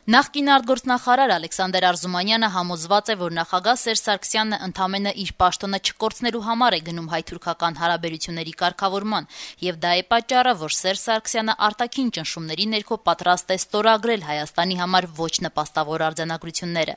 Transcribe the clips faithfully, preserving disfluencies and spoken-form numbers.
Նախկին արտգործնախարար Ալեքսանդր Արզումանյանը համոզված է, որ նախագահ Սերժ Սարգսյանն ընդամենը իր պաշտոնը չկորցնելու համար է գնում հայ-թուրքական հարաբերությունների կարգավորման, եւ դա է պատճառը, որ Սերժ Սարգսյանը արտաքին ճնշումների ներքո պատրաստ է ստորագրել Հայաստանի համար ոչ նպաստավոր արձանագրությունները։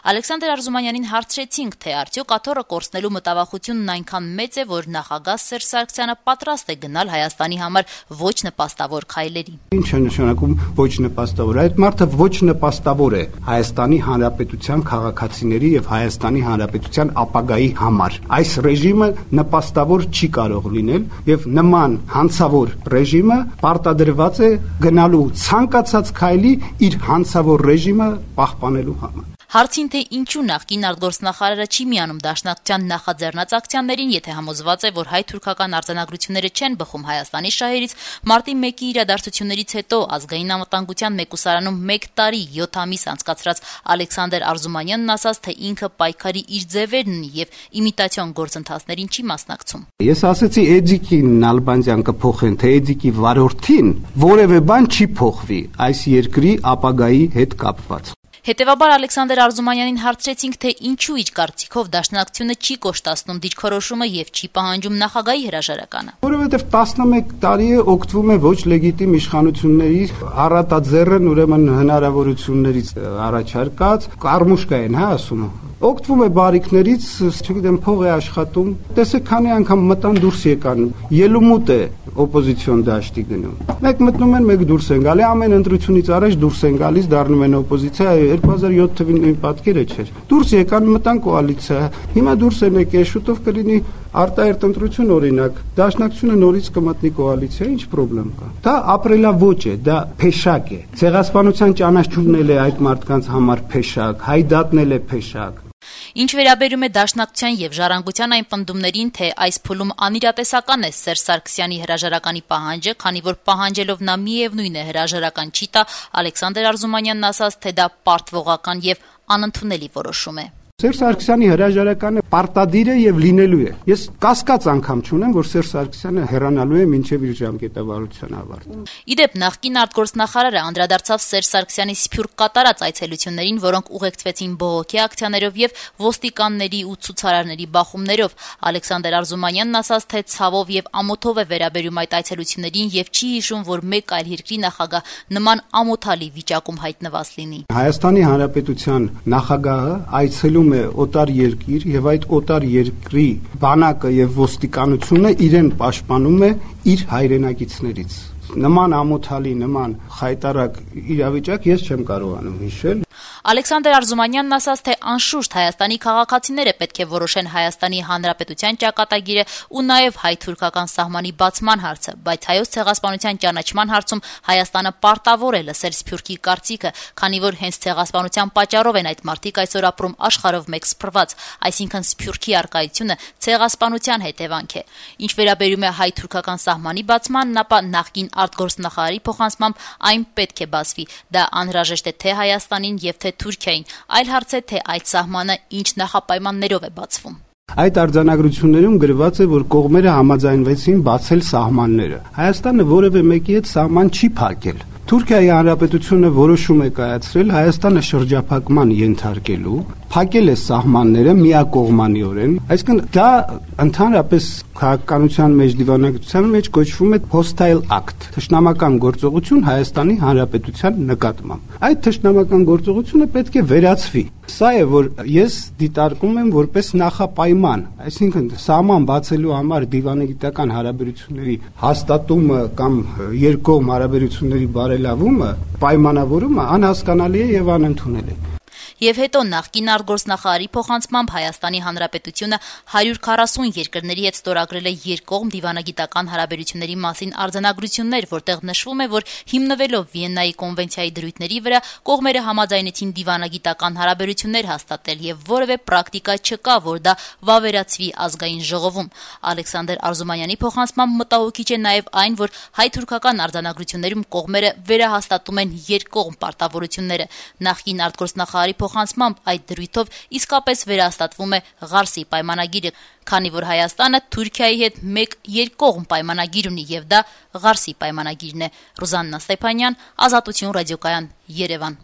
Ալեքսանդր Արզումանյանին հարցրեցինք, թե արդյոք աթոռը կորցնելու մտավախությունն այնքան մեծ է, որ նախագահ Սերժ Սարգսյանը պատրաստ է գնալ Հայաստանի համար ոչ նպաստավոր քայլերի։ Ինչ է նշանակում ոչ նպաստավոր։ Այդ մարդը ոչ նպաստավոր է Հայաստանի Հանրապետության քաղաքացիների եւ Հայաստանի Հանրապետության ապագայի համար։ Այս ռեժիմը նպաստավոր չի կարող լինել եւ նման հանցավոր ռեժիմը պարտադրված է գնալու ցանկացած քայլի իր հանցավոր ռեժիմը պահպանելու համար։ Հարցին, թե ինչու նախկին արտգործնախարարը չի միանում Դաշնակցության նախաձեռնած ակցիաներին, եթե համոզված է, որ հայ-թուրքական արձանագրությունները չեն բխում Հայաստանի շահերից, մարտի մեկի իրադարձություններից հետո ազգային անվտանգության մեկուսարանում մեկ տարի յոթ ամիս անցկացրած Ալեքսանդր Արզումանյանն ասաց, թե ինքը պայքարի իր ձևերն ունի եւ իմիտացիոն գործընթացներին չի մասնակցում։ Ես ասացի Էդիկին Նալբանդյան կփոխեն, թե Էդիկի վարորդին որևէ բան չի փոխվի այս երկրի ապագայի հետ կապված։ Հետևաբար Ալեքսանդր Արզումանյանին հարցրեցինք, թե ինչու իր կարծիքով Դաշնակցությունը չի կոշտացնում դիրքորոշումը եւ չի պահանջում նախագահի հրաժարականը։ Որովհետեւ տասնմեկ տարի է օգտվում է ոչ լեգիտիմ իշխանությունների առատաձեռն ուրեմն հնարավորություններից առաջարկած կարմուշկա են, հա, ասում։ Օգտվում է բարիկներից, չգիտեմ, փող է աշխատում։ Տեսեք, քանի անգամ մտան դուրս եկան։ Ելումուտ է օպոզիցիոն դաշտի գնում։ Մեկ մտնում են, մեկ դուրս են գալի, ամեն ընտրությունից առաջ դուրս են գալիս, դառնում են օպոզիցիա, երկու հազար յոթ թվին նույն պատկերը չէր։ Դուրս եկան, մտան կոալիցիա։ Հիմա դուրս են եկել, շուտով կլինի արտահերտ ընտրություն օրինակ, Դաշնակցությունը նորից կմտնի կոալիցիա, ինչ խնդրեմ կա։ Դա ապրելաոճ է, դա փեշակ է։ Ցեղասպանության ճանաչումն է այդ մարդկանց համար փեշակ, հայդատնել է փեշակ։ Ինչ վերաբերում է Դաշնակցության եւ Ժառանգության այն պնդումներին, թե այս փուլում անիրատեսական է Սերժ Սարգսյանի հրաժարականի պահանջը, քանի որ պահանջելով նա միևնույն է հրաժարական չի տա, Ալեքսանդր Արզումանյանն ասաց, թե դա պարտվողական եւ անընդունելի որոշում է։ Սերժ Սարգսյանի հրաժարականը պարտադիր է եւ լինելու է։ Ես կասկած անգամ չունեմ, որ Սերժ Սարգսյանը հեռանալու է մինչեւ իր ժամկետավարության ավարտը։ Իդեպ նախկին արտգործնախարարը անդրադարձավ Սերժ Սարգսյանի սփյուռք կատարած այցելություններին, որոնք ուղեկցվեցին բողոքի ակցիաներով եւ ոստիկանների ու ցուցարարների բախումներով։ Ալեքսանդր Արզումանյանն ասաց, թե ցավով եւ ամոթով է վերաբերում այդ այցելություններին եւ չի հիշում, որ մեկ այլ երկրի նախագահ նման ամոթալի վիճակում հայտնված լինի։ Հայաստանի Հանրապետության նախագահը այցելում է օտար երկիր եւ այդ օտար երկրի բանակը եւ ոստիկանությունը իրեն պաշտպանում է իր հայրենակիցներից։ Նման ամոթալի, նման խայտարակ իրավիճակ ես չեմ կարողանում հիշել։ Ալեքսանդր Արզումանյանն ասաց, թե անշուշտ Հայաստանի քաղաքացիները պետք է որոշեն Հայաստանի Հանրապետության ճակատագիրը ու նաև հայ-թուրքական սահմանի բացման հարցը, բայց հայոց ցեղասպանության ճանաչման հարցում Հայաստանը պարտավոր է լսել սփյուռքի կարծիքը, քանի որ հենց ցեղասպանության պատճառով են այդ մարդիկ այսօր ապրում աշխարհով մեկ սփռված, այսինքն սփյուռքի արկայությունը ցեղասպանության հետևանք է։ Ինչ վերաբերում է հայ-թուրքական սահմանի բացմանն, ապա նախկին արտգործնախարարի փոխանցմամբ այն պետք է բացվի։ Դա անհրաժեշտ է թե Հայաստանին եւ թե Թուրքիային, այլ հարց է, թե այդ սահմանը ինչ նախապայմաններով է բացվում։ Այդ արձանագրություններում գրված է, որ կողմերը համաձայնվեցին բացել սահմանները։ Հայաստանը որևէ մեկի հետ սահման չի փակել։ Թուրքիայի Հանրապետությունը որոշում է կայացրել Հայաստանը շրջափակման ենթարկելու, փակել է սահմանները միակողմանիորեն, այսինքն դա ընդհանրապես քաղաքականության մեջ դիվանագիտության մեջ կոչվում է hostile act, թշնամական գործողություն Հայաստանի Հանրապետության նկատմամբ։ Այդ թշնամական գործողությունը պետք է վերացվի։ Սա է, որ ես դիտարկում եմ որպես նախապայման, այսինքն սահման բացելու համար դիվանագիտական հարաբերությունների հաստատումը կամ երկկողմ հարաբերությունների բարելավումը, պայմանավորումը անհասկանալի է եւ անընդունելի։ Եվ հետո նախկին արտգործնախարարի փոխանցմամբ Հայաստանի Հանրապետությունը հարյուր քառասուն երկրների հետ ստորագրել է երկկողմ դիվանագիտական հարաբերությունների մասին արձանագրություններ, որտեղ նշվում է, որ հիմնվելով Վիեննայի կոնվենցիայի դրույթների վրա կողմերը համաձայնեցին դիվանագիտական հարաբերություններ հաստատել եւ որևէ պրակտիկա չկա, որ դա վավերացվի ազգային ժողովում։ Ալեքսանդր Արզումանյանի փոխանցմամբ մտահոգիչ է նաեւ այն, որ հայ-թուրքական արձանագրություններում կողմերը վերահաստատում են երկկողմ պարտավորությունները։ Նախկին արտգործնախարարի փոխանցմամբ այդ դրույթով իսկապես վերահաստատվում է Ղարսի պայմանագիրը, քանի որ Հայաստանը Թուրքիայի հետ մեկ երկկողմ պայմանագիր ունի եւ դա Ղարսի պայմանագիրն է։ Ռուզաննա Ստեփանյան, Ազատություն ռադիոկայան, Երևան։